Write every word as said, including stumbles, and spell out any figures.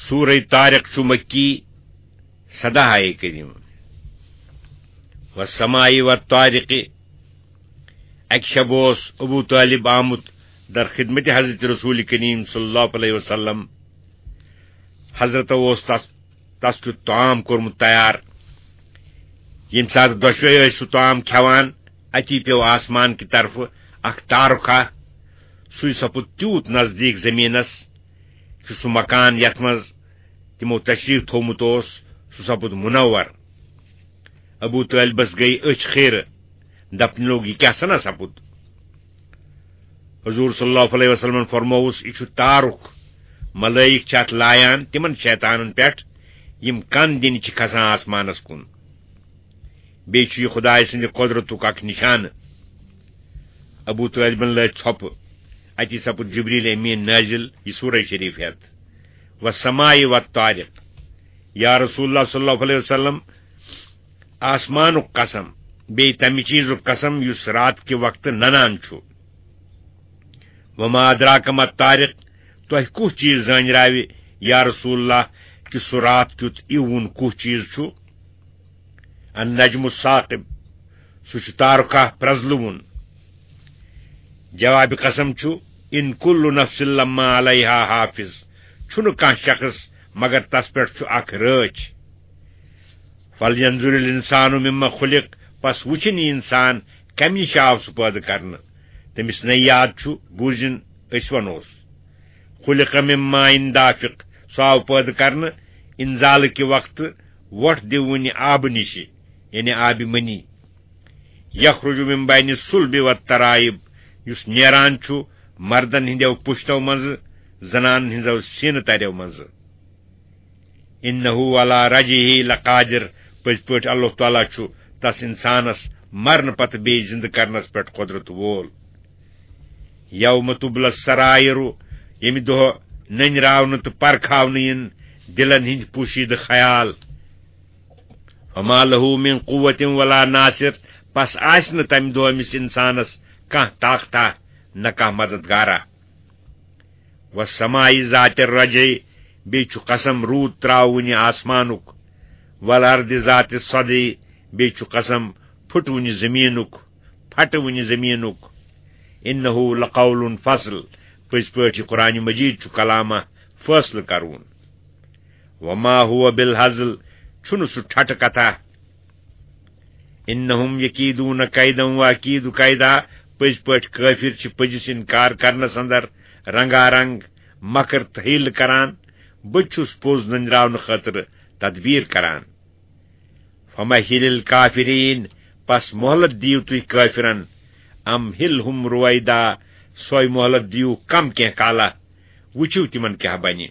سورہ طارق چھُ مکی، سداہ آیے کریمہ۔ والسماء والطارق۔ اکہِ شب اوس ابو طالب آمُت در خدمت حضرت رسول کریم صلی اللہ علیہ وسلم۔ حضرت اوس تس، تس کیُت طعام کوٚرمُت تیار۔ ییٚمہِ ساتہٕ دۄشوے ٲسۍ سُہ طعام کھٮ۪وان، اتی پیوٚو آسمان کہِ طرفہٕ اکھ تارُکھا۔ سُے سپُد تیوٗت نزدیٖک زٔمیٖنس کہِ سُہ مکان یتھ منٛز تِمو تشریف تھوومُت اوس، سُہ سپُد منور۔ ابو طالبس گٔیہِ أچھ خیرٕ، دپنہِ لوٚگ، "یہِ کیٛاہ سنا سپُد؟" حضور صلی اللہ علیہ وسلمن فرمووُس، "یہِ چھُ تارُک، ملٲیِک چھِ اتھ لایان تِمن شیطانن پٮ۪ٹھ، یِم کن دِنہِ چھِ کھسان آسمانس کُن۔ بیٚیہِ چھُ یہِ خدایہِ سٕنٛدِ قۄدرتُک اکھ نِشانہٕ۔" ابو طالبن لٲج ژھۄپہٕ۔ اتی سپُد جبریل امین نٲزِل، یہِ سورہ شریف ہٮ۪تھ، "والسماء والطارق۔" یا رسول اللہ صلی اللہ علیہ وسلم، آسمانُک قسم، بیٚیہِ تمہِ چیٖزُک قسم یُس رات کہِ وقتہٕ ننان چھُ۔ "وما ادراک ما الطارق"، تۄہہِ کُس چیٖز زٲنراوِ یا رسول اللہ کہِ سُہ رات کیُتھ اِوُن کُس چیٖز چھُ؟ النجم الثاقب، سُہ چھُ تارکاہ پرزلوُن۔ جواب قسم چھُ، "ان کل نفس لما علیہا حافظ"، چھُنہٕ کانٛہہ شخص مگر تس پٮ۪ٹھ چھُ اکھ رٲچھ۔ "فلینظر الانسان مما خلق"، پس وٕچھِن یہِ انسان کمہِ نِش آو سُہ پٲدٕ کرنہٕ۔ تٔمِس نے یاد چھُ، بوٗزِن أسۍ ونوس۔ "خلق من ماء دافق"، سُہ آو پٲدٕ کرنہٕ انزالہٕ کہِ وقتہٕ وۄٹھ دِوٕنہِ آبہٕ نِشہِ، یعنی آبِ منی۔ "یخرج من بین الصلب والترائب"، یُس نیران چھُ مردن ہٕنٛدیو پُشتو منٛزٕ، زنانن ہٕنٛزو سینہٕ تریو منٛزٕ۔ "انہ علی رجعہ لقادر"، پٔزۍ پٲٹھۍ اللہ تعالیٰ چھُ تس انسانس مرنہٕ پتہٕ بیٚیہِ زِندٕ کرنس پٮ۪ٹھ قۄدرت وول۔ "یوم تبلی السرائر"، ییٚمہِ دۄہ نٔنۍ راونہٕ تہٕ پرکھاونہٕ یِن دِلن ہٕنٛدۍ پوشیدٕ خیال۔ "فما لہ من قوة ولا ناصر"، پس آسہِ نہٕ تمہِ دۄہ أمِس انسانس کانٛہہ طاقتہ نہ کانٛہہ مددگارا۔ "والسماء ذات الرجع"، بیٚیہِ چھُ قسم روٗد تراوٕنہِ آسمانُک۔ "والارض ذات الصدع"، بیٚیہِ چھُ قسم پھُٹوٕنہِ زٔمیٖنُک، پھٹوٕنہِ زٔمیٖنُک۔ "انہ لقول فصل"، پٔزۍ پٲٹھۍ یہِ قرآن مجید چھُ کلامہ فٲصلہٕ کرون۔ "وما هو بالهزل"، چھُنہٕ سُہ ٹھٹہٕ کتھا۔ "انہم یکیدون کیدا واکید کیدا"، پٔزۍ پٲٹھۍ کٲفِر چھِ پٔزِس انکار کرنس اندر رنگا رنگ مکر تہٕ حیلہٕ کران۔ بہٕ تہِ چھُس پوٚز نٔنراونہٕ خٲطرٕ تدبیر کران۔ "فمہل الکافرین"، پس مہلت دِیِو تُہۍ کٲفرن۔ "امہلہم رویدا"، سۄے مہلت دِیِو کم کینٛہہ کالہ، وٕچھِو تِمن کیٛاہ بنہِ۔